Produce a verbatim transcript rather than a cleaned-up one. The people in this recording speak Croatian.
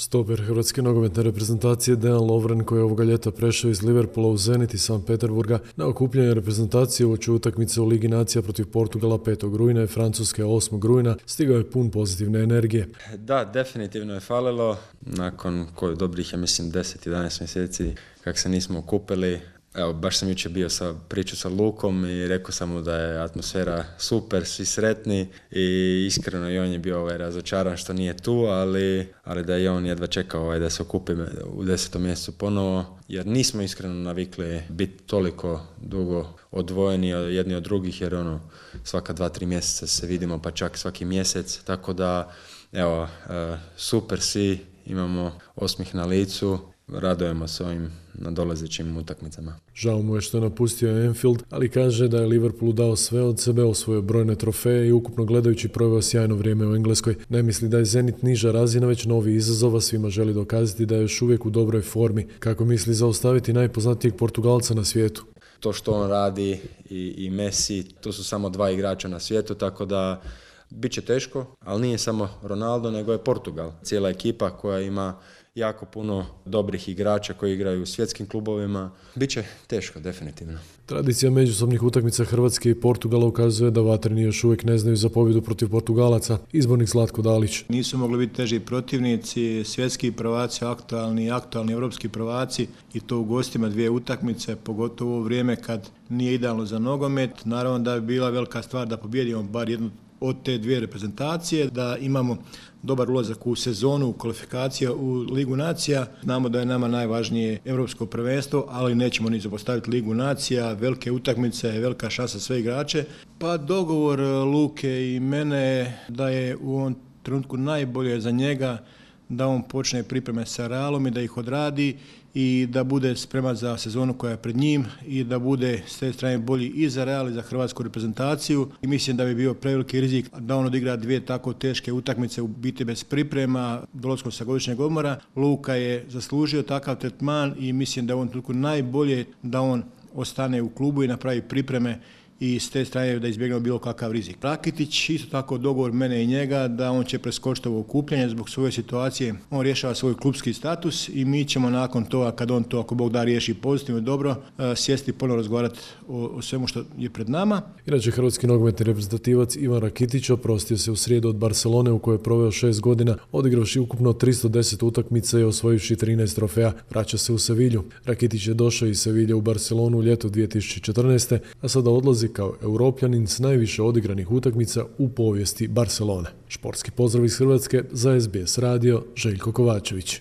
Stoper hrvatske nogometne reprezentacije Dejan Lovren, koji je ovoga ljeta prešao iz Liverpoola u Zenit iz Sankt Peterburga na okupljanje reprezentacije uoči utakmice u Ligi nacija protiv Portugala petog rujna i Francuske osmog rujna, stigao je pun pozitivne energije. Da, definitivno je falilo. Nakon koju dobrih, ja mislim, deset jedanaest mjeseci kak se nismo okupili. Evo, baš sam jučer bio sa priču sa Lukom i rekao sam mu da je atmosfera super, svi sretni i iskreno i on je bio ovaj, razočaran što nije tu, ali, ali da je on jedva čekao ovaj, da se okupi u desetom mjesecu ponovo, jer nismo iskreno navikli biti toliko dugo odvojeni jedni od drugih, jer ono, svaka dva, tri mjeseca se vidimo, pa čak svaki mjesec, tako da evo, super svi, imamo osmih na licu. Radujemo se ovim nadolazećim utakmicama. Žao mu je što je napustio Anfield, ali kaže da je Liverpoolu dao sve od sebe, osvojio brojne trofeje i ukupno gledajući proveo sjajno vrijeme u Engleskoj. Ne misli da je Zenit niža razina, već novi izazova, svima želi dokazati da je još uvijek u dobroj formi. Kako misli zaustaviti najpoznatijeg Portugalca na svijetu? To što on radi i, i Messi, to su samo dva igrača na svijetu, tako da bit će teško, ali nije samo Ronaldo, nego je Portugal. Cijela ekipa koja ima jako puno dobrih igrača koji igraju u svjetskim klubovima. Biće teško, definitivno. Tradicija međusobnih utakmica Hrvatske i Portugala ukazuje da vatreni još uvijek ne znaju za pobjedu protiv Portugalaca. Izbornik Zlatko Dalić. Nisu mogli biti teži protivnici, svjetski prvaci, aktualni, aktualni evropski prvaci i to u gostima dvije utakmice, pogotovo u vrijeme kad nije idealno za nogomet. Naravno da bi bila velika stvar da pobjedimo bar jednu od te dvije reprezentacije, da imamo dobar ulazak u sezonu, u kvalifikacije u Ligu nacija. Znamo da je nama najvažnije europsko prvenstvo, ali nećemo ni zapostaviti Ligu nacija, velike utakmice, velika šansa sve igrače. Pa dogovor Luke i mene da je u ovom trenutku najbolje za njega da on počne pripreme sa Realom i da ih odradi i da bude spreman za sezonu koja je pred njim i da bude s te strane bolji i za Real i za hrvatsku reprezentaciju. I mislim da bi bio preveliki rizik da on odigra dvije tako teške utakmice u biti bez priprema, dolaskom sa godišnjeg odmora. Luka je zaslužio takav tretman i mislim da je u ovom trenutku najbolje da on ostane u klubu i napravi pripreme i s te strane da izbjegnemo bilo kakav rizik. Rakitić, isto tako dogovor mene i njega da on će preskočiti ovo okupljanje zbog svoje situacije. On rješava svoj klubski status i mi ćemo nakon toga, kad on to, ako Bog da, riješi pozitivno i dobro, sjesti i ponovno razgovarati o, o svemu što je pred nama. Inače, hrvatski nogometni reprezentativac Ivan Rakitić oprostio se u srijedu od Barcelone u kojoj je proveo šest godina, odigravši ukupno tristo deset utakmica i osvojivši trinaest trofeja. Vraća se u Sevilju. Rakitić je došao iz Sevilje u Barcelonu u ljetu dvije tisuće četrnaeste. a sada odlazi kao Europljanin s najviše odigranih utakmica u povijesti Barcelone. Športski pozdrav iz Hrvatske za S B S radio, Željko Kovačević.